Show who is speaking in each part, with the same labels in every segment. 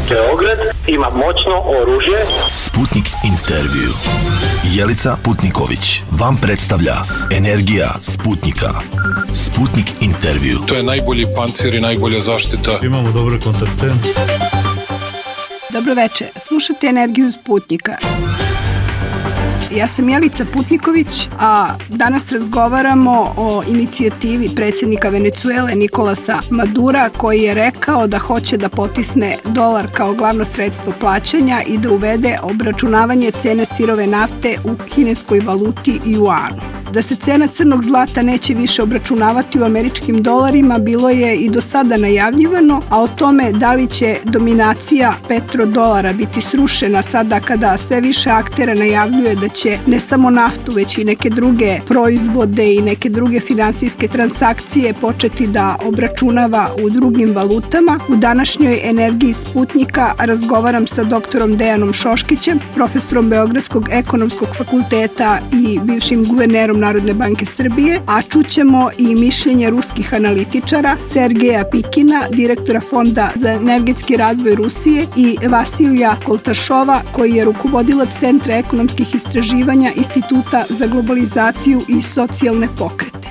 Speaker 1: Beograd ima moćno oružje.
Speaker 2: Sputnik intervju. Jelica Putniković vam predstavlja Energija Sputnika. Sputnik intervju.
Speaker 3: To je najbolji pancir i najbolja zaštita.
Speaker 4: Imamo dobre kontakte.
Speaker 5: Dobro večer, slušate Energiju Sputnika. Ja sam Jelica Putniković, a danas razgovaramo o inicijativi predsjednika Venecuele Nikolasa Madura, koji je rekao da hoće da potisne dolar kao glavno sredstvo plaćanja i da uvede obračunavanje cene sirove nafte u kineskoj valuti juanu. Da se cena crnog zlata neće više obračunavati u američkim dolarima bilo je i do sada najavljivano, a o tome da li će dominacija petrodolara biti srušena sada kada sve više aktera najavljuje da će ne samo naftu, već i neke druge proizvode i neke druge finansijske transakcije početi da obračunava u drugim valutama. U današnjoj Energiji Sputnika razgovaram sa doktorom Dejanom Šoškićem, profesorom Beogradskog ekonomskog fakulteta i bivšim guvernerom Narodne banke Srbije, a čućemo i mišljenje ruskih analitičara Sergeja Pikina, direktora Fonda za energetski razvoj Rusije, i Vasilija Koltašova, koji je rukovodilac Centra ekonomskih istraživanja Instituta za globalizaciju i socijalne pokrete.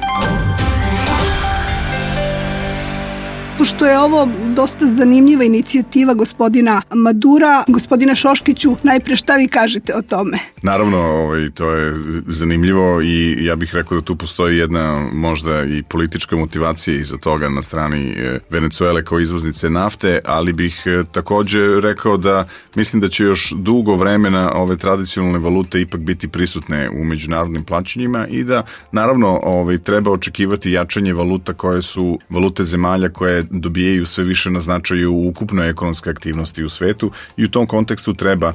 Speaker 5: Pošto je ovo dosta zanimljiva inicijativa gospodina Madura, gospodina Šoškiću, najpre šta vi kažete o tome?
Speaker 6: Naravno, to je zanimljivo i ja bih rekao da tu postoji jedna možda i politička motivacija iza toga na strani Venecuele kao izvoznice nafte, ali bih takođe rekao da mislim da će još dugo vremena ove tradicionalne valute ipak biti prisutne u međunarodnim plaćanjima i da naravno treba očekivati jačanje valuta koje su valute zemalja koje dobijaju sve više na značaju u ukupnoj ekonomskoj aktivnosti u svetu i u tom kontekstu treba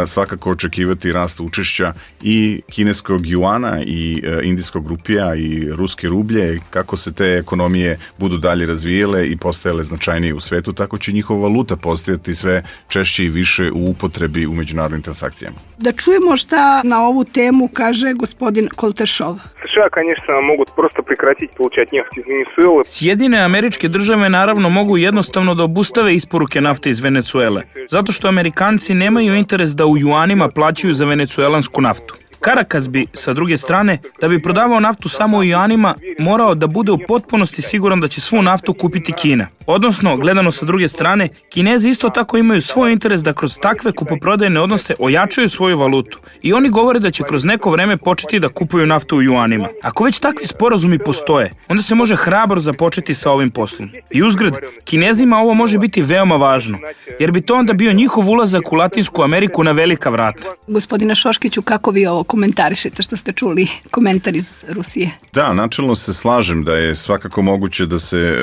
Speaker 6: svakako očekivati rast učešća i kineskog juana i indijskog rupija i ruske rublje. Kako se te ekonomije budu dalje razvijele i postajale značajnije u svetu, tako će njihova valuta postajati sve češće i više u upotrebi u međunarodnim transakcijama.
Speaker 5: Da čujemo šta na ovu temu kaže gospodin Koltašov.
Speaker 7: США, конечно, могут просто прекратить получать нефть из Венесуэлы.
Speaker 8: Sjedine Američke Države naravno mogu jednostavno da obustave isporuke nafte iz Venecuele, zato što Amerikanci nemaju interes da u juanima plaćaju za venecuelansku naftu. Caracas bi, sa druge strane, da bi prodavao naftu samo u juanima, morao da bude u potpunosti siguran da će svu naftu kupiti Kina. Odnosno, gledano sa druge strane, Kinezi isto tako imaju svoj interes da kroz takve kupoprodajne odnose ojačaju svoju valutu i oni govore da će kroz neko vreme početi da kupuju naftu u juanima. Ako već takvi sporazumi postoje, onda se može hrabro započeti sa ovim poslom. I uzgred, Kinezima ovo može biti veoma važno, jer bi to onda bio njihov ulazak u Latinsku Ameriku na velika vrata.
Speaker 5: Gospodina Šoškiću, kako vi ovo komentarišete što ste čuli komentar iz Rusije?
Speaker 6: Da, načelno se slažem da je svakako moguće da se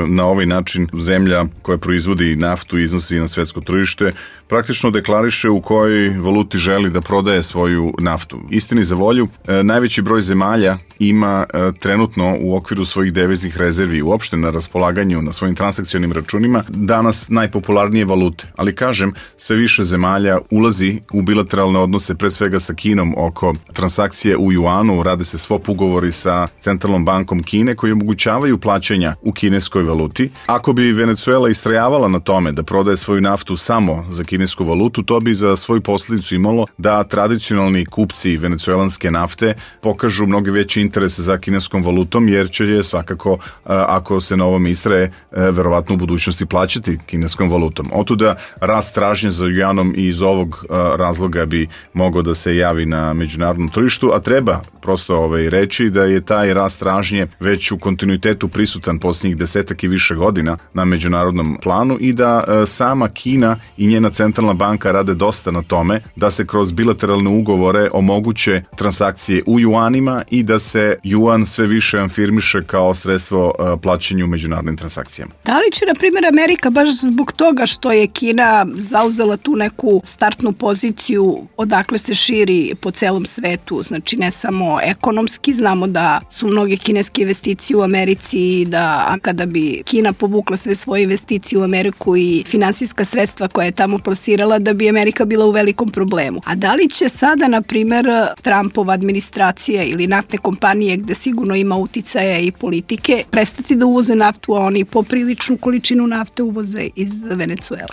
Speaker 6: na ovaj način zemlja koja proizvodi naftu i iznosi na svetsko tržište praktično deklariše u kojoj valuti želi da prodaje svoju naftu. Istini za volju, najveći broj zemalja ima trenutno u okviru svojih deviznih rezervi uopšte na raspolaganju na svojim transakcionim računima danas najpopularnije valute. Ali kažem, sve više zemalja ulazi u bilateralne odnose pre svega sa Kinom oko transakcije u juanu, rade se swap ugovori sa Centralnom bankom Kine koji omogućavaju plaćanja u kineskoj valuti. Ako bi Venecuela istrajavala na tome da prodaje svoju naftu samo za kinesku valutu, to bi za svoju posljedicu imalo da tradicionalni kupci venecuelanske nafte pokažu mnogo veći interes za kineskom valutom, jer će je svakako, ako se na ovom istraje, verovatno u budućnosti plaćati kineskom valutom. Otuda rast tražnje za juanom i iz ovog razloga bi mogao da se javi na međunarodnom tržištu, a treba prosto reći da je taj rast tražnje već u kontinuitetu prisutan posljednjih 10 i više godina na međunarodnom planu i da sama Kina i njena centralna banka rade dosta na tome da se kroz bilateralne ugovore omoguće transakcije u juanima i da se juan sve više afirmiše kao sredstvo plaćanja u međunarodnim transakcijama.
Speaker 5: Da li će, na primjer, Amerika baš zbog toga što je Kina zauzela tu neku startnu poziciju odakle se širi po celom svetu, znači ne samo ekonomski, znamo da su mnoge kineske investicije u Americi i da kada bi Kina povukla sve svoje investicije u Ameriku i finansijska sredstva koja je tamo plasirala, da bi Amerika bila u velikom problemu. A da li će sada, na primjer, Trumpova administracija ili naftne kompanije, gde sigurno ima uticaja i politike, prestati da uvoze naftu, a oni popriličnu količinu nafte uvoze iz Venecuele?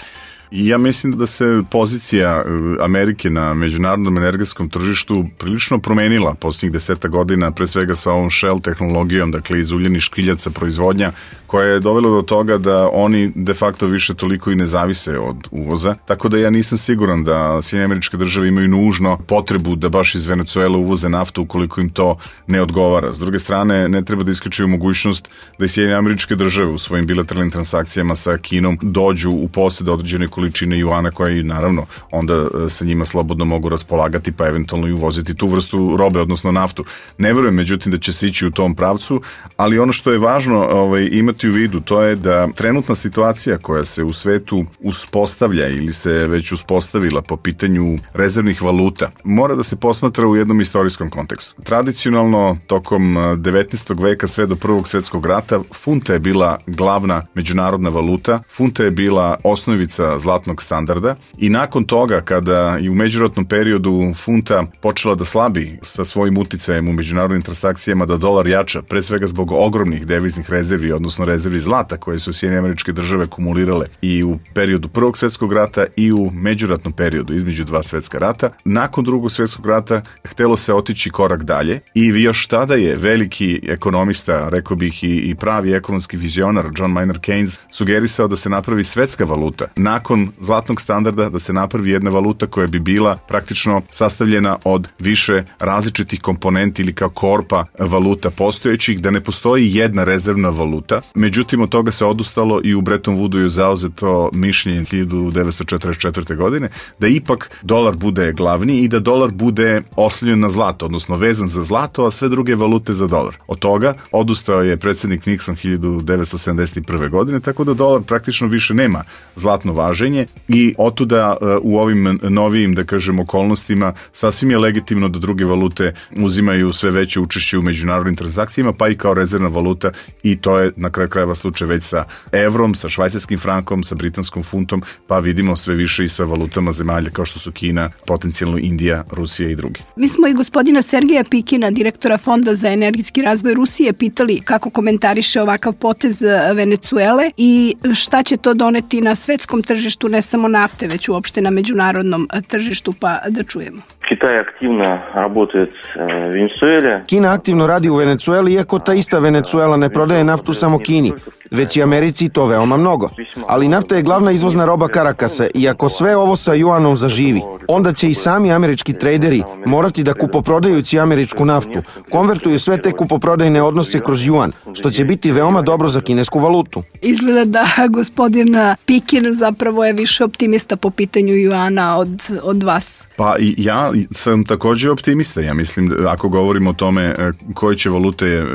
Speaker 6: I ja mislim da se pozicija Amerike na međunarodnom energetskom tržištu prilično promenila posljednjih 10 godina, pre svega sa ovom Shell tehnologijom, dakle iz uljenih škriljaca proizvodnja, koja je dovela do toga da oni de facto više toliko i ne zavise od uvoza. Tako da ja nisam siguran da Sjedinjene Američke Države imaju nužno potrebu da baš iz Venecuele uvoze naftu ukoliko im to ne odgovara. S druge strane, ne treba da isključuju mogućnost da i Sjedinjene Američke Države u svojim bilateralnim transakcijama sa Kinom dođu u posjed određene količine juana koje naravno onda sa njima slobodno mogu raspolagati pa eventualno i uvoziti tu vrstu robe, odnosno naftu. Ne verujem međutim da će se ići u tom pravcu, ali ono što je važno imati u vidu, to je da trenutna situacija koja se u svetu uspostavlja ili se već uspostavila po pitanju rezervnih valuta, mora da se posmatra u jednom istorijskom kontekstu. Tradicionalno, tokom 19. veka sve do Prvog svjetskog rata, funta je bila glavna međunarodna valuta, funta je bila osnovica zlatnog standarda i nakon toga, kada i u međuratnom periodu funta počela da slabi sa svojim uticajem u međunarodnim transakcijama, da dolar jača, pre svega zbog ogromnih deviznih rezervi, odnosno rezervi zlata koje su Sjedinjene Američke Države kumulirale i u periodu Prvog svjetskog rata i u međuratnom periodu između dva svjetska rata. Nakon Drugog svjetskog rata htelo se otići korak dalje i još tada je veliki ekonomista, rekao bih i pravi ekonomski vizionar John Maynard Keynes sugerisao da se napravi svetska valuta. Nakon zlatnog standarda da se napravi jedna valuta koja bi bila praktično sastavljena od više različitih komponenti ili kao korpa valuta postojećih, da ne postoji jedna rezervna valuta. Međutim, od toga se odustalo i u Bretton Woodu je zauzeto mišljenje 1944. godine da ipak dolar bude glavni i da dolar bude oslonjen na zlato, odnosno vezan za zlato, a sve druge valute za dolar. Od toga odustao je predsjednik Nixon 1971. godine, tako da dolar praktično više nema zlatno važenje i otuda u ovim novijim, da kažem, okolnostima sasvim je legitimno da druge valute uzimaju sve veće učešće u međunarodnim transakcijama, pa i kao rezervna valuta, i to je na kraju krajeva slučaj već sa evrom, sa švajcarskim frankom, sa britanskom funtom, pa vidimo sve više i sa valutama zemalja kao što su Kina, potencijalno Indija, Rusija i drugi.
Speaker 5: Mi smo i gospodina Sergeja Pikina, direktora Fonda za energetski razvoj Rusije, pitali kako komentariše ovakav potez Venecuele i šta će to doneti na svetskom tržištu, ne samo nafte, već uopšte na međunarodnom tržištu, pa da čujemo.
Speaker 4: Kina aktivno radi u Venecueli, iako ta ista Venecuela ne prodaje naftu samo Kini, već i Americi, to veoma mnogo. Ali nafta je glavna izvozna roba Karakasa i ako sve ovo sa juanom zaživi, onda će i sami američki trejderi morati da kupoprodajući američku naftu konvertuju sve te kupoprodajne odnose kroz juan, što će biti veoma dobro za kinesku valutu.
Speaker 5: Izgleda da gospodin Pikin zapravo je više optimista po pitanju juana od vas.
Speaker 6: Pa ja sam također optimista. Ja mislim da ako govorimo o tome koje će valute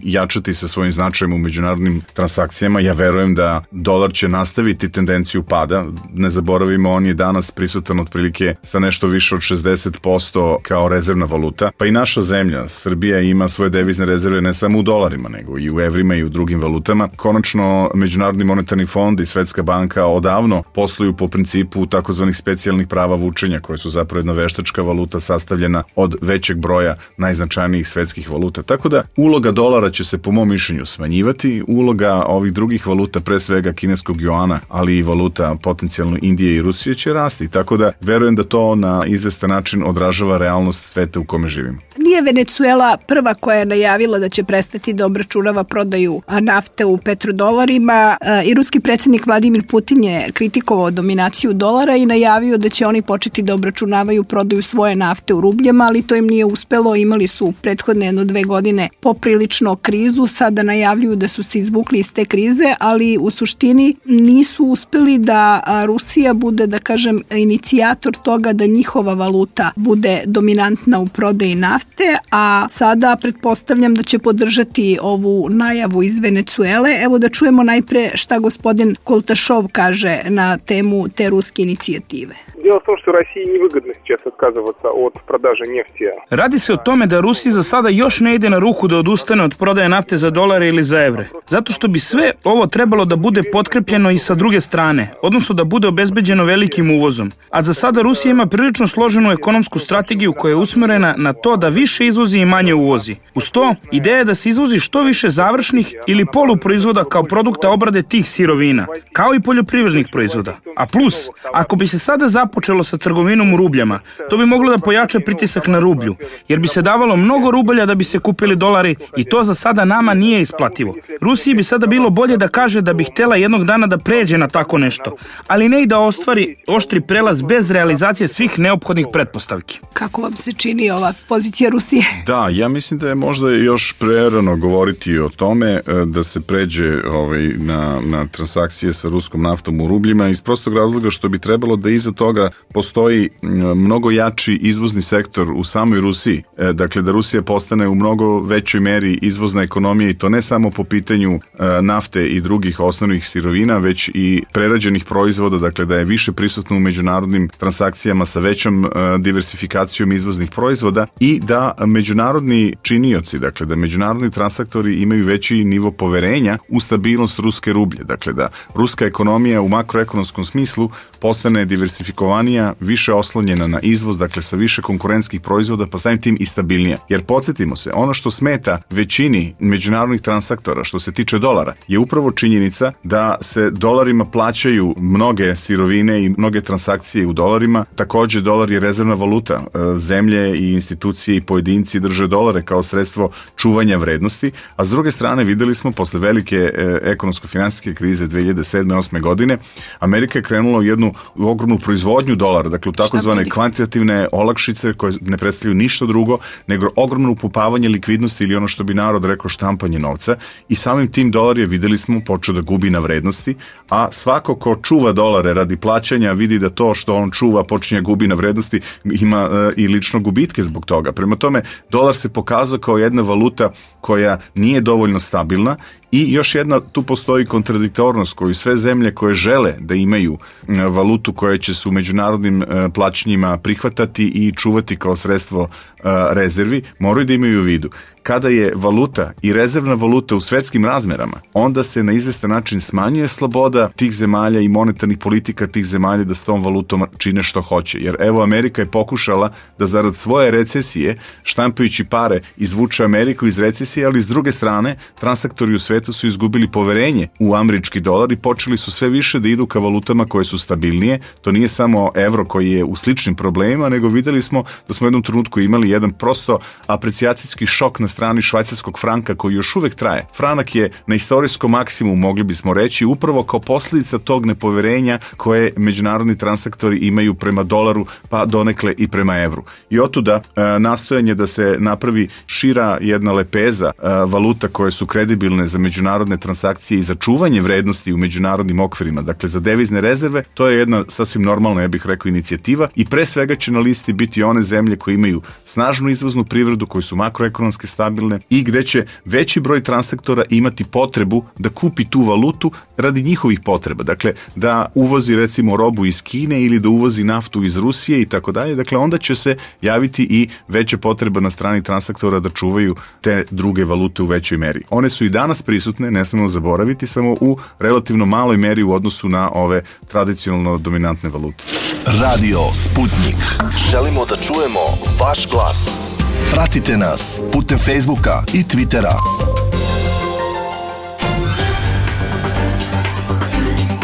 Speaker 6: jačati sa svojim značajem u međunarodnim transakcijama, ja verujem da dolar će nastaviti tendenciju pada. Ne zaboravimo, on je danas prisutan otprilike sa nešto više od 60% kao rezervna valuta. Pa i naša zemlja, Srbija, ima svoje devizne rezerve ne samo u dolarima, nego i u evrima i u drugim valutama. Konačno, Međunarodni monetarni fond i Svetska banka odavno posluju po principu takozvanih specijalnih prava vučenja, koje su zapravo jedna veštačka valuta sastavljena od većeg broja najznačajnijih svetskih valuta. Tako da uloga dolara će se po mom mišljenju smanjivati, uloga ovih drugih valuta, pre svega kineskog juana, ali i valuta potencijalno Indije i Rusije, će rasti. Tako da verujem da to na izvestan način odražava realnost sveta u kome živimo.
Speaker 5: Nije Venecuela prva koja je najavila da će prestati da obračunava prodaju nafte u petrodolarima. I ruski predsjednik Vladimir Putin je kritikovao dominaciju dolara i najavio da će oni početi da obračunavaju prodaju svoje nafte u rubljama, ali to im nije uspelo. Imali su prethodne 1-2 godine poprilično krizu, sada najavljuju da su se izvukli iz te krize, ali u suštini nisu uspeli da Rusija bude, da kažem, inicijator toga da njihova valuta bude dominantna u prodaji nafte, a sada pretpostavljam da će podržati ovu najavu iz Venecuele. Evo da čujemo najpre šta gospodin Koltašov kaže na temu te ruske inicijative.
Speaker 7: Дело в том, что России невыгодно сейчас отказываться от продажи нефти.
Speaker 8: Radi se o tome da Rusiji za sada još ne ide na ruku da odustane od prodaje nafte za dolare ili za evre, zato što bi sve ovo trebalo da bude potkrepljeno i sa druge strane, odnosno da bude obezbeđeno velikim uvozom. A za sada Rusija ima prilično složenu ekonomsku strategiju koja je usmerena na to da više izvozi i manje uvozi. Uz to, ideja je da se izvozi što više završnih ili poluproizvoda kao produkta obrade tih sirovina, kao i poljoprivrednih proizvoda. A plus, ako bi se sada započelo sa trgovinom u rubljama, to bi moglo da pojača pritisak na rublju, jer bi se davalo mnogo rubalja da bi se kupili dolari i to za sada nama nije isplativo. Rusiji bi sada bilo bolje da kaže da bi htjela jednog dana da pređe na tako nešto, ali ne i da ostvari oštri prelaz bez realizacije svih neophodnih pretpostavki.
Speaker 5: Kako vam se čini ova pozicija Rusije?
Speaker 6: Da, ja mislim da je možda još prerano govoriti o tome da se pređe na transakcije sa ruskom naftom u rubljima iz prostog razloga što bi trebalo da iza toga postoji mnogo jači izvozni sektor u samoj Rusiji. Dakle, da Rusija postane u mnogo većoj meri izvozna ekonomija i to ne samo po pitanju nafte i drugih osnovnih sirovina, već i prerađenih proizvoda, dakle da je više prisutno u međunarodnim transakcijama sa većom diversifikacijom izvoznih proizvoda i da međunarodni činioci, dakle da međunarodni transaktori imaju veći nivo poverenja u stabilnost ruske rublje, dakle da ruska ekonomija u makroekonomskom smislu postane diversifikovanija, više oslonjena na izvoz, dakle sa više konkurentskih proizvoda, pa samim tim i stabilnija. Jer podsjetimo se, ono što smeta većini međunarodnih transaktora što se tiče dolara je upravo činjenica da se dolarima plaćaju mnoge sirovine i mnoge transakcije u dolarima. Također dolar je rezervna valuta. Zemlje i institucije i pojedinci drže dolare kao sredstvo čuvanja vrednosti, a s druge strane videli smo posle velike ekonomsko-finansijske krize 2007-2008 godine, Amerika je krenula u jednu ogromnu proizvodnju dolara, dakle u takozvane kvantitativne olakšice koje ne predstavljaju ništa drugo nego ogromno upupavanje likvidnosti ili ono što bi narod rekao štampanje novca i samim tim dolar je, videli smo, počeo da gubi na vrednosti, a svako ko čuva dolare radi plaćanja vidi da to što on čuva počinje gubi na vrednosti, ima i lično gubitke zbog toga. Prema tome, dolar se pokazao kao jedna valuta koja nije dovoljno stabilna i još jedna, tu postoji kontradiktornost koju sve zemlje koje žele da imaju valutu koja će se u međunarodnim plaćanjima prihvatati i čuvati kao sredstvo rezervi, moraju da imaju u vidu. Kada je valuta i rezervna valuta u svetskim razmerama, onda se na izvestan način smanjuje sloboda tih zemalja i monetarnih politika tih zemalja da s tom valutom čine što hoće. Jer evo, Amerika je pokušala da zarad svoje recesije, štampajući pare, izvuče Ameriku iz recesije, ali s druge strane, transaktori u svetu su izgubili poverenje u američki dolar i počeli su sve više da idu ka valutama koje su stabilnije. To nije samo evro koji je u sličnim problemima, nego videli smo da smo u jednom trenutku imali jedan prosto aprecijacijski šok na strani švajcarskog franka koji još uvek traje. Franak je na istorijskom maksimumu, mogli bismo reći, upravo kao posljedica tog nepoverenja koje međunarodni transaktori imaju prema dolaru, pa donekle i prema evru. I otuda nastojanje da se napravi šira jedna lepeza valuta koje su kredibilne za međunarodne transakcije i za čuvanje vrednosti u međunarodnim okvirima, dakle za devizne rezerve, to je jedna sasvim normalna, ja bih rekao, inicijativa i pre svega će na listi biti one zemlje koje imaju snažnu izvoznu privredu, koje su makroekonomski stabilne i gde će veći broj transaktora imati potrebu da kupi tu valutu radi njihovih potreba. Dakle, da uvozi recimo robu iz Kine ili da uvozi naftu iz Rusije i tako dalje. Dakle, onda će se javiti i veća potreba na strani transaktora da čuvaju te druge valute u većoj meri. One su i danas prisutne, ne smemo zaboraviti, samo u relativno maloj meri u odnosu na ove tradicionalno dominantne valute.
Speaker 2: Radio Sputnik. Želimo da čujemo vaš glas. Pratite nas putem Facebooka i Twittera.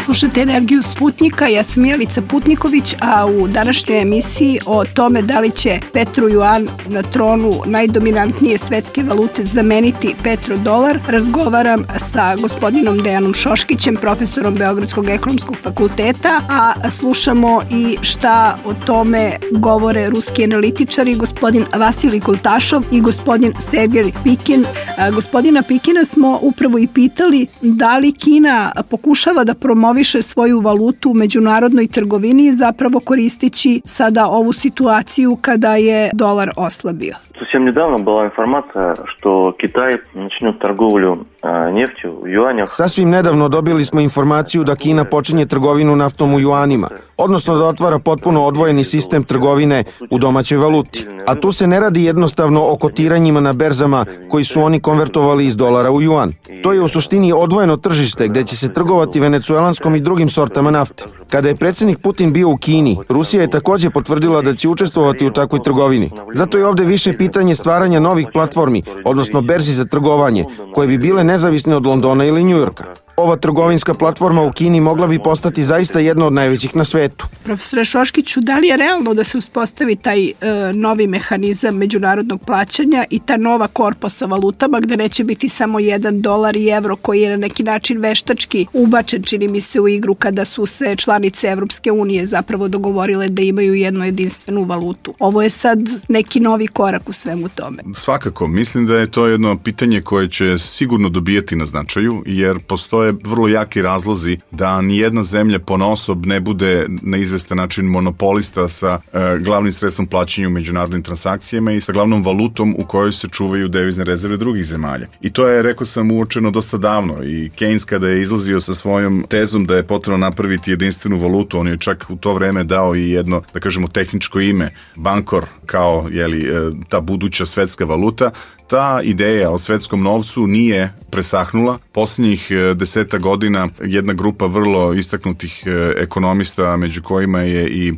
Speaker 5: Slušate Energiju Sputnika, ja sam Jelica Putniković, a u današnjoj emisiji o tome da li će petrojuan na tronu najdominantnije svetske valute zameniti petrodolar, razgovaram sa gospodinom Dejanom Šoškićem, profesorom Beogradskog ekonomskog fakulteta, a slušamo i šta o tome govore ruski analitičari, gospodin Vasilij Koltašov i gospodin Sergej Pikin. Gospodina Pikina smo upravo i pitali da li Kina pokušava da promoviše svoju valutu u međunarodnoj trgovini, zapravo koristeći sada ovu situaciju kada je dolar oslabio.
Speaker 9: Совсем недавно была информация, что Китай начнет торговлю нефтью в юанях.
Speaker 4: Sasvim nedavno dobili smo informaciju da Kina počinje trgovinu naftom u juanima, odnosno da otvara potpuno odvojeni sistem trgovine u domaćoj valuti. A tu se ne radi jednostavno o kotiranjima na berzama koji su oni konvertovali iz dolara u juan. To je u suštini odvojeno tržište gde će se trgovati venecuelanskom i drugim sortama nafte. Kada je predsjednik Putin bio u Kini, Rusija je takođe potvrdila da će učestvovati u takvoj trgovini. Zato je ovde više pitanje stvaranja novih platformi, odnosno berzi za trgovanje, koje bi bile nezavisne od Londona ili Njujorka. Ova trgovinska platforma u Kini mogla bi postati zaista jedna od najvećih na svetu.
Speaker 5: Profesore Šoškiću, da li je realno da se uspostavi taj novi mehanizam međunarodnog plaćanja i ta nova korpa sa valutama gde neće biti samo $1 i evro koji je na neki način veštački ubačen, čini mi se, u igru kada su se članice Evropske unije zapravo dogovorile da imaju jednu jedinstvenu valutu. Ovo je sad neki novi korak u svemu tome.
Speaker 6: Svakako, mislim da je to jedno pitanje koje će sigurno dobijati na značaju, jer postoje vrlo jaki razlozi da nijedna zemlja ponaosob ne bude na izvestan način monopolista sa glavnim sredstvom plaćanja u međunarodnim transakcijama i sa glavnom valutom u kojoj se čuvaju devizne rezerve drugih zemalja. I to je, rekao sam, uočeno dosta davno i Keynes kada je izlazio sa svojom tezom da je potrebno napraviti jedinstvenu valutu, on je čak u to vreme dao i jedno, da kažemo, tehničko ime, Bankor, kao ta buduća svetska valuta. Ta ideja o svetskom novcu nije presahnula. Posljednjih 10 godina jedna grupa vrlo istaknutih ekonomista, među kojima je i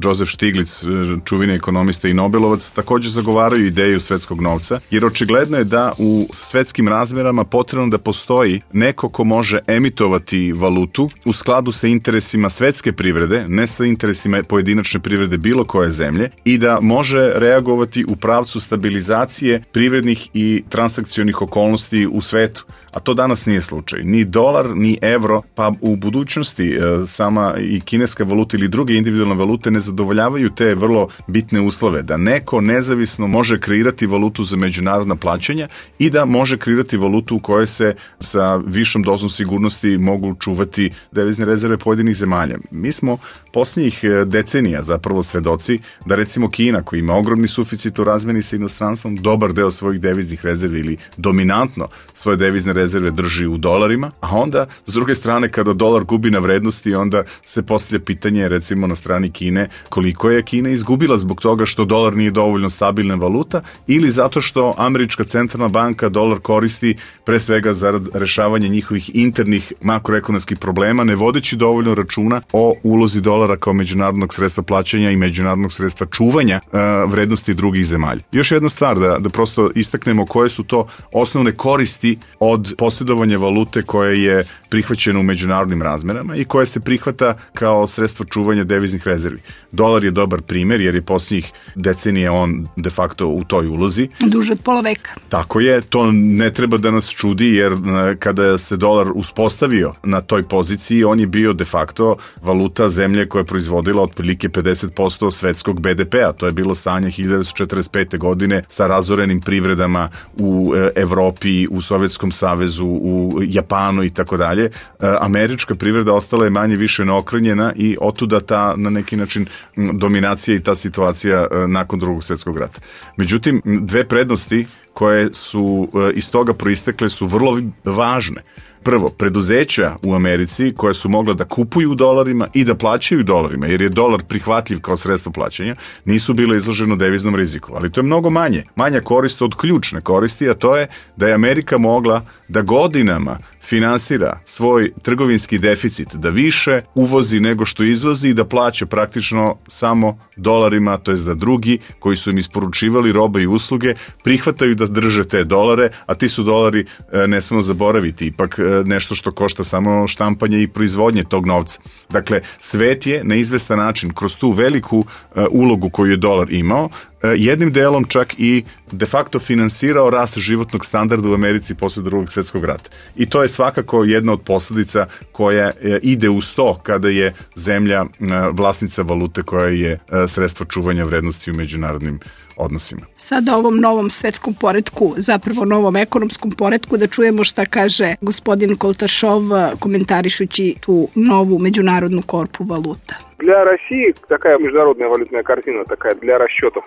Speaker 6: Joseph Stiglitz, čuveni ekonomista i Nobelovac, također zagovaraju ideju svetskog novca, jer očigledno je da u svetskim razmerama potrebno da postoji neko ko može emitovati valutu u skladu sa interesima svetske privrede, ne sa interesima pojedinačne privrede bilo koje zemlje, i da može reagovati u pravcu stabilizacije privrednih i transakcionih okolnosti u svetu. A to danas nije slučaj. Ni dolar, ni evro, pa u budućnosti sama i kineska valuta ili druge individualne valute ne zadovoljavaju te vrlo bitne uslove. Da neko nezavisno može kreirati valutu za međunarodna plaćanja i da može kreirati valutu u kojoj se sa višom dozom sigurnosti mogu čuvati devizne rezerve pojedinih zemalja. Mi smo posljednjih decenija zapravo svedoci da recimo Kina, koja ima ogromni suficit u razmeni sa inostranstvom, dobar deo svojih deviznih rezervi ili dominantno svoje devizne rezerve drži u dolarima, a onda s druge strane kada dolar gubi na vrednosti, onda se postavlja pitanje recimo na strani Kine koliko je Kina izgubila zbog toga što dolar nije dovoljno stabilna valuta ili zato što američka centralna banka dolar koristi pre svega zarad rešavanja njihovih internih makroekonomskih problema, ne vodeći dovoljno računa o ulozi dolara kao međunarodnog sredstva plaćanja i međunarodnog sredstva čuvanja vrednosti drugih zemalja. Još jedna stvar da prosto istaknemo koje su to osnovne koristi od posjedovanja valute koje je prihvaćeno u međunarodnim razmerama i koje se prihvata kao sredstvo čuvanja deviznih rezervi. Dolar je dobar primjer jer je posljednjih decenija on de facto u toj ulozi.
Speaker 5: Duže od pola veka.
Speaker 6: Tako je, to ne treba da nas čudi jer kada se dolar uspostavio na toj poziciji, on je bio de facto valuta zemlje koja je proizvodila otprilike 50% svetskog BDP-a. To je bilo stanje 1945. godine sa razorenim privredama u Evropi, u Sovjetskom savezu, u Japanu i tako dalje. Američka privreda ostala je manje više neokrnjena i otuda ta na neki način dominacija i ta situacija nakon Drugog svjetskog rata. Međutim, dve prednosti koje su iz toga proistekle su vrlo važne. Prvo, preduzeća u Americi koje su mogla da kupuju u dolarima i da plaćaju dolarima, jer je dolar prihvatljiv kao sredstvo plaćanja, nisu bile izloženo deviznom riziku. Ali to je mnogo manja korist od ključne koristi, a to je da je Amerika mogla da godinama finansira svoj trgovinski deficit, da više uvozi nego što izvozi i da plaća praktično samo dolarima, to jest da drugi koji su im isporučivali robe i usluge prihvataju da drže te dolare, a ti su dolari, ne smemo zaboraviti, ipak nešto što košta samo štampanje i proizvodnje tog novca. Dakle, svet je na izvestan način kroz tu veliku ulogu koju je dolar imao, jednim delom čak i de facto finansirao rast životnog standarda u Americi posle Drugog svjetskog rata. I to je svakako jedna od posljedica koja ide uz to kada je zemlja vlasnica valute koja je sredstvo čuvanja vrednosti u međunarodnim odnosima.
Speaker 5: Sada o ovom novom svetskom poretku, zapravo novom ekonomskom poretku, da čujemo šta kaže gospodin Koltašov komentarišući tu novu međunarodnu korpu valuta.
Speaker 7: Для России такая международная валютная корзина, такая для расчетов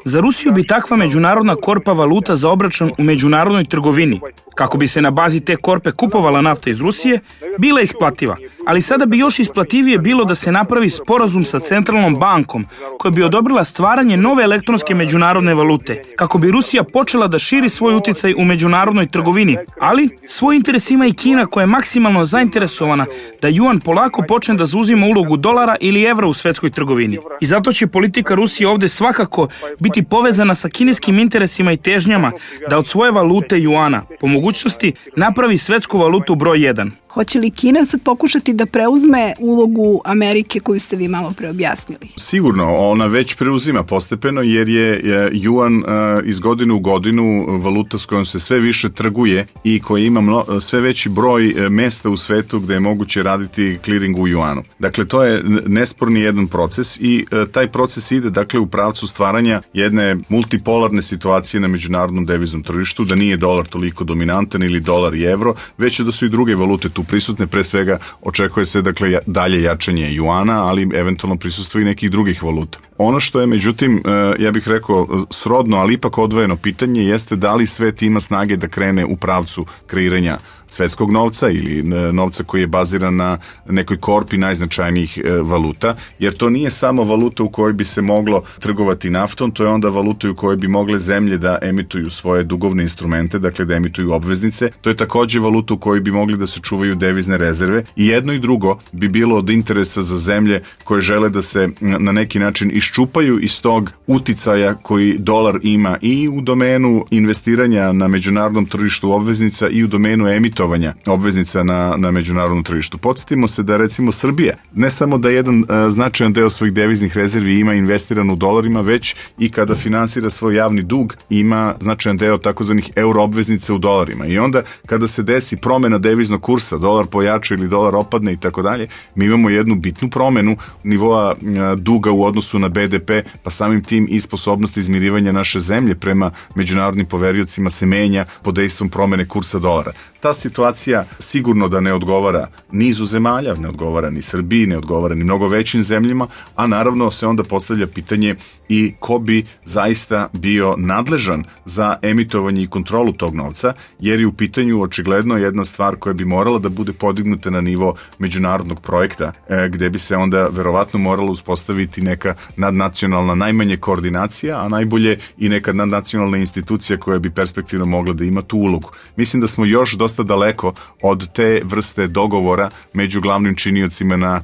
Speaker 8: Za Rusiju bi takva međunarodna korpa valuta za obračun u međunarodnoj trgovini, kako bi se na bazi te korpe kupovala nafta iz Rusije, bila isplativa. Ali sada bi još isplativije bilo da se napravi sporazum sa centralnom bankom koja bi odobrila stvaranje nove elektronske međunarodne valute, kako bi Rusija počela da širi svoj uticaj u međunarodnoj trgovini. Ali svoj interes ima i Kina koja je maksimalno zainteresovana da juan polako počne da zauzima ulogu dolara ili evra u svetskoj trgovini. I zato će politika Rusije ovde svakako biti povezana sa kineskim interesima i težnjama da od svoje valute juana po mogućnosti napravi svetsku valutu broj 1.
Speaker 5: Hoće li Kina sad pokušati da preuzme ulogu Amerike koju ste vi malo pre objasnili?
Speaker 6: Sigurno, ona već preuzima postepeno jer je juan iz godine u godinu valuta s kojom se sve više trguje i koja ima sve veći broj mesta u svetu gde je moguće raditi clearing u juanu. Dakle, to je nesporni jedan proces i taj proces ide dakle u pravcu stvaranja jedne multipolarne situacije na međunarodnom deviznom tržištu, da nije dolar toliko dominantan ili dolar i evro, već da su i druge valute tu prisutne, pre svega očekuje se dakle dalje jačanje juana, ali eventualno prisustvo i nekih drugih valuta. Ono što je međutim, ja bih rekao srodno, ali ipak odvojeno pitanje jeste da li svet ima snage da krene u pravcu kreiranja svetskog novca ili novca koji je baziran na nekoj korpi najznačajnijih valuta, jer to nije samo valuta u kojoj bi se moglo trgovati naftom, to je onda valuta u kojoj bi mogle zemlje da emituju svoje dugovne instrumente, dakle da emituju obveznice, to je takođe valuta u kojoj bi mogli da se čuvaju devizne rezerve i jedno i drugo bi bilo od interesa za zemlje koje žele da se na neki način iščupaju iz tog uticaja koji dolar ima i u domenu investiranja na međunarodnom tržištu obveznica i u domenu emitovanja obveznica na međunarodnom tržištu. Podsjetimo se da recimo Srbija ne samo da jedan značajan deo svojih deviznih rezervi ima investiran u dolarima, već i kada finansira svoj javni dug ima značajan deo takozvanih euro obveznice u dolarima. I onda kada se desi promena deviznog kursa, dolar pojača ili dolar opadne i tako dalje, mi imamo jednu bitnu promenu nivoa duga u odnosu na BDP, pa samim tim i sposobnost izmirivanja naše zemlje prema međunarodnim poveriocima se menja pod dejstvom promene kursa dolara. Ta situacija sigurno da ne odgovara nizu zemalja, ne odgovara ni Srbiji, ne odgovara ni mnogo većim zemljama, a naravno se onda postavlja pitanje i ko bi zaista bio nadležan za emitovanje i kontrolu tog novca, jer je u pitanju očigledno jedna stvar koja bi morala da bude podignuta na nivo međunarodnog projekta, gde bi se onda verovatno morala uspostaviti neka nadnacionalna najmanje koordinacija, a najbolje i neka nadnacionalna institucija koja bi perspektivno mogla da ima tu ulogu. Mislim da smo još dosta daleko od te vrste dogovora među glavnim činiocima na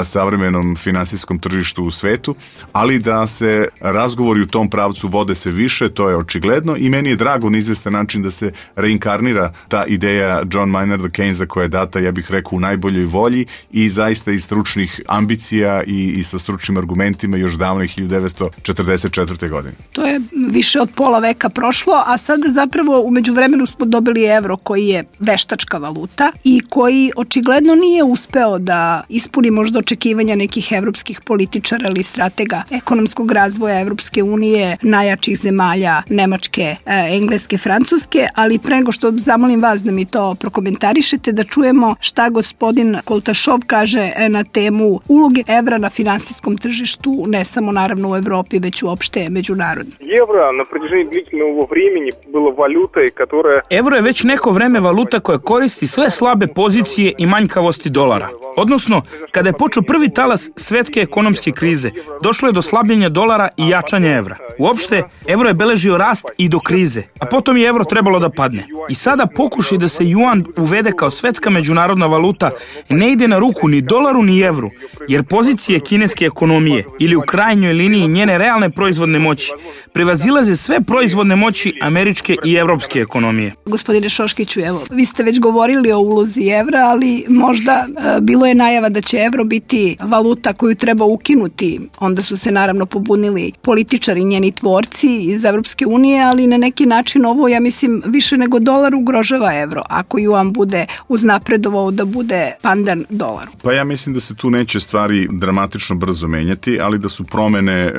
Speaker 6: savremenom finansijskom tržištu u svetu, ali da se razgovori u tom pravcu vode sve više, to je očigledno i meni je drago na izvestan način da se reinkarnira ta ideja John Maynarda Keynesa koja je data, ja bih rekao, u najboljoj volji i zaista iz stručnih ambicija i sa stručnim argumentima još davno 1944. godine.
Speaker 5: To je više od pola veka prošlo, a sada zapravo u međuvremenu smo dobili evro koji je veštačka valuta i koji očigledno nije uspeo da ispuni možda očekivanja nekih evropskih političara ili stratega ekonomskog razvoja Evropske unije, najjačih zemalja Nemačke, Engleske, Francuske, ali pre nego što zamolim vas da mi to prokomentarišete, da čujemo šta gospodin Koltašov kaže na temu uloge evra na finansijskom tržištu, ne samo naravno u Evropi, već uopšte međunarodno.
Speaker 7: Евро на протяжении длительного времени было валютой, которая...
Speaker 8: Evro je već neko vreme valuta koja koristi sve slabe pozicije i manjkavosti dolara. Odnosno, kada je počeo prvi talas svetske ekonomske krize, došlo je do slabljenja dolara i jačanja evra. Uopšte, evro je beležio rast i do krize, a potom je evro trebalo da padne. I sada pokušaj da se juan uvede kao svetska međunarodna valuta ne ide na ruku ni dolaru ni evru, jer pozicije kineske ekonomije ili u krajnjoj liniji njene realne proizvodne moći prevazilaze sve proizvodne moći američke i evropske ekonomije.
Speaker 5: Gospodine Šoškiću, evo, vi ste već govorili o ulozi evra, ali možda bilo je najava da će evro biti valuta koju treba ukinuti. Onda su se naravno pobunili političari, njeni tvorci iz Evropske unije, ali na neki način ovo, ja mislim, više nego dolar ugrožava evro, ako juan bude uznapredovao da bude pandan dolaru.
Speaker 6: Pa ja mislim da se tu neće stvari dramatično brzo menjati, ali da su promene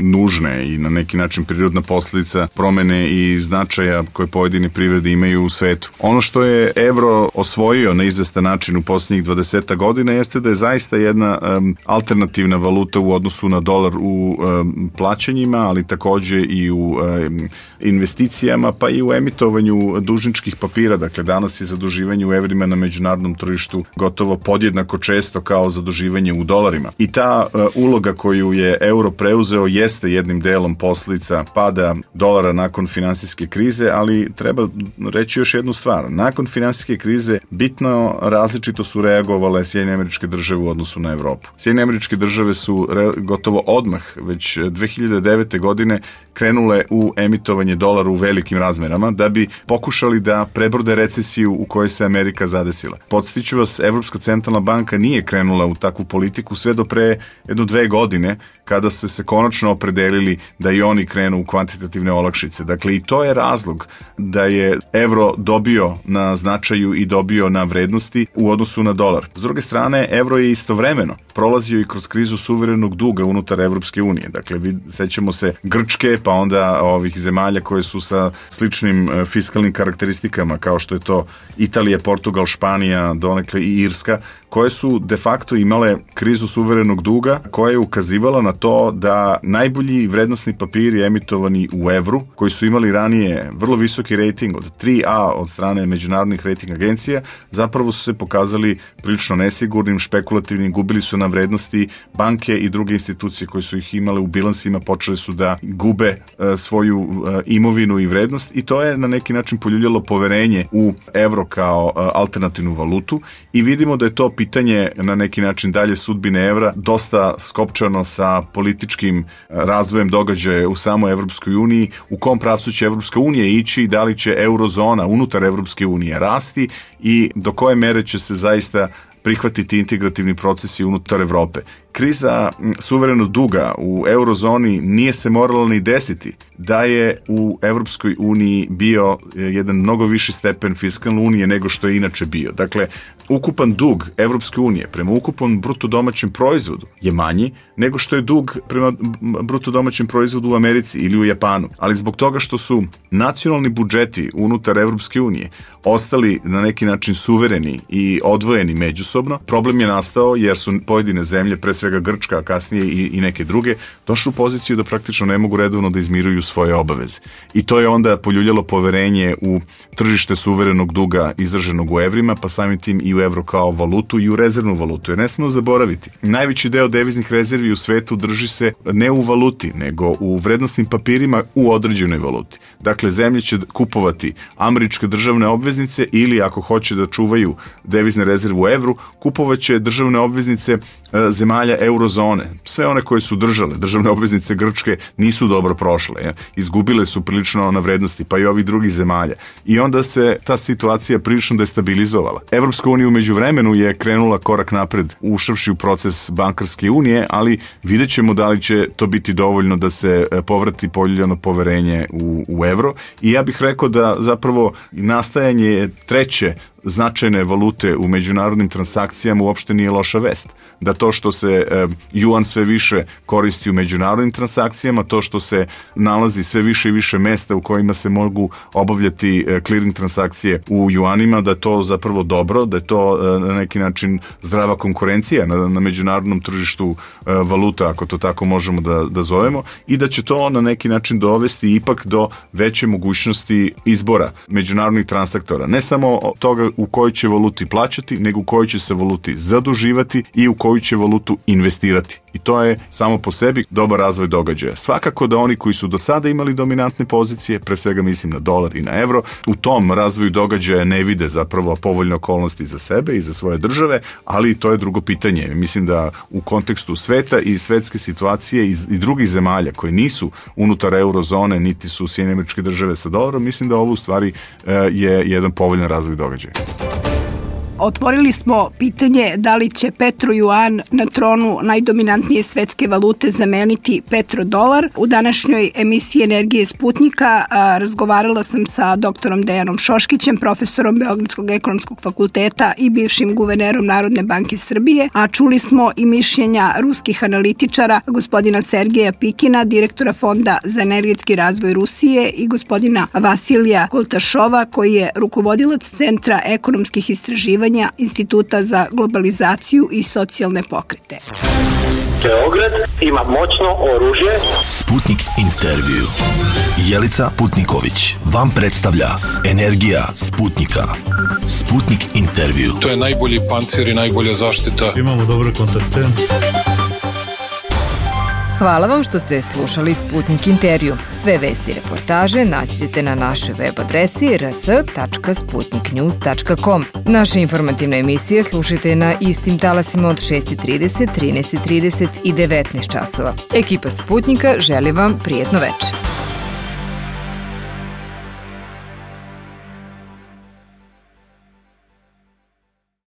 Speaker 6: nužne i na neki način prirodna posledica promene i značaja koje pojedine privrede imaju u svetu. Ono što je evro osvojio na izvestan način u posljednjih 20 godina jeste da je zaista zaista jedna alternativna valuta u odnosu na dolar u plaćanjima, ali takođe i u investicijama, pa i u emitovanju dužničkih papira. Dakle, danas je zaduživanje u evrima na međunarodnom tržištu gotovo podjednako često kao zaduživanje u dolarima. I ta uloga koju je euro preuzeo jeste jednim delom posljedica pada dolara nakon finansijske krize, ali treba reći još jednu stvar. Nakon finansijske krize bitno različito su reagovale Sjedinjene Američke Države u odnosu na Evropu. Sjedinjene Američke Države su gotovo odmah, već 2009. godine, krenule u emitovanje dolara u velikim razmerama da bi pokušali da prebrode recesiju u kojoj se Amerika zadesila. Podsjeću vas, Evropska centralna banka nije krenula u takvu politiku sve do pre 1-2 godine, kada su se konačno opredelili da i oni krenu u kvantitativne olakšice. Dakle, i to je razlog da je evro dobio na značaju i dobio na vrednosti u odnosu na dolar. S druge strane, evro je istovremeno prolazio i kroz krizu suverenog duga unutar Evropske unije. Dakle, sećamo se Grčke, pa onda ovih zemalja koje su sa sličnim fiskalnim karakteristikama, kao što je to Italija, Portugal, Španija, donekle i Irska, koje su de facto imale krizu suverenog duga, koja je ukazivala na to da najbolji vrednosni papiri emitovani u evru, koji su imali ranije vrlo visoki rating od 3A od strane međunarodnih rating agencija, zapravo su se pokazali prilično nesigurnim, špekulativnim, gubili su na vrednosti. Banke i druge institucije koje su ih imale u bilansima počele su da gube svoju imovinu i vrednost, i to je na neki način poljuljalo poverenje u evro kao alternativnu valutu, i vidimo da je to pitanje na neki način dalje sudbine evra dosta skopčano sa političkim razvojem događaja u samoj Evropskoj uniji, u kom pravcu će Evropska unija ići, da li će eurozona unutar Evropske unije rasti i do koje mere će se zaista prihvatiti integrativni procesi unutar Evrope. Kriza suverenog duga u eurozoni nije se morala ni desiti da je u Evropskoj uniji bio jedan mnogo viši stepen fiskalne unije nego što je inače bio. Dakle, ukupan dug Evropske unije prema ukupnom bruto domaćem proizvodu je manji nego što je dug prema bruto domaćem proizvodu u Americi ili u Japanu. Ali zbog toga što su nacionalni budžeti unutar Evropske unije ostali na neki način suvereni i odvojeni međusobno, problem je nastao jer su pojedine zemlje, pre svega Grčka, a kasnije i neke druge, došli u poziciju da praktično ne mogu redovno da izmiruju svoje obaveze. I to je onda poljuljalo poverenje u tržište suverenog duga izraženog u evrima, pa samim tim i u evro kao valutu i u rezervnu valutu. Jer ne smemo zaboraviti, najveći deo deviznih rezervi u svetu drži se ne u valuti, nego u vrednosnim papirima u određenoj valuti. Dakle, zemlje će kupovati američke državne obveznice ili, ako hoće da čuvaju devizne rezerve u evru, kupovaće državne obveznice zemalja eurozone. Sve one koje su držale državne obveznice Grčke nisu dobro prošle. Izgubile su prilično na vrednosti, pa i ovih drugih zemalja. I onda se ta situacija prilično destabilizovala. Evropska unija umeđu vremenu je krenula korak napred, ušavši u proces bankarske unije, ali vidjet ćemo da li će to biti dovoljno da se povrati poljuljano poverenje u evro. I ja bih rekao da zapravo nastajanje treće značajne valute u međunarodnim transakcijama uopšte nije loša vest. Da to što se juan sve više koristi u međunarodnim transakcijama, to što se nalazi sve više i više mesta u kojima se mogu obavljati clearing transakcije u juanima, da je to zapravo dobro, da je to na neki način zdrava konkurencija na međunarodnom tržištu valuta, ako to tako možemo da zovemo, i da će to na neki način dovesti ipak do veće mogućnosti izbora međunarodnih transaktora. Ne samo toga u kojoj će valuti plaćati, nego u kojoj će se valuti zaduživati i u koju će valutu investirati. I to je samo po sebi dobar razvoj događaja. Svakako da oni koji su do sada imali dominantne pozicije, pre svega mislim na dolar i na evro, u tom razvoju događaja ne vide zapravo povoljne okolnosti za sebe i za svoje države, ali to je drugo pitanje. Mislim da u kontekstu sveta i svetske situacije i drugih zemalja koje nisu unutar eurozone, niti su Sjedinjene Američke Države sa dolarom, mislim da ovo u stvari je jedan povoljan razvoj događaja.
Speaker 5: Otvorili smo pitanje da li će petrojuan na tronu najdominantnije svetske valute zameniti petrodolar. U današnjoj emisiji Energije Sputnika razgovarala sam sa doktorom Dejanom Šoškićem, profesorom Beogradskog ekonomskog fakulteta i bivšim guvernerom Narodne banke Srbije, a čuli smo i mišljenja ruskih analitičara, gospodina Sergeja Pikina, direktora Fonda za energetski razvoj Rusije, i gospodina Vasilija Koltašova, koji je rukovodilac Centra ekonomskih istraživanja istraživanja Instituta za globalizaciju i socijalne pokrete.
Speaker 1: Beograd ima moćno oružje.
Speaker 2: Sputnik intervju. Jelica Putniković vam predstavlja Energija Sputnika. Sputnik intervju.
Speaker 3: To je najbolji pancir i najbolja zaštita.
Speaker 10: Imamo dobre kontakte.
Speaker 11: Hvala vam što ste slušali Sputnik intervju. Sve vesti i reportaže naći ćete na našoj web adresi rs.sputniknews.com. Naše informativne emisije slušajte na istim talasima od 6:30, 13:30 i 19 časova. Ekipa Sputnika želi vam prijetno večer.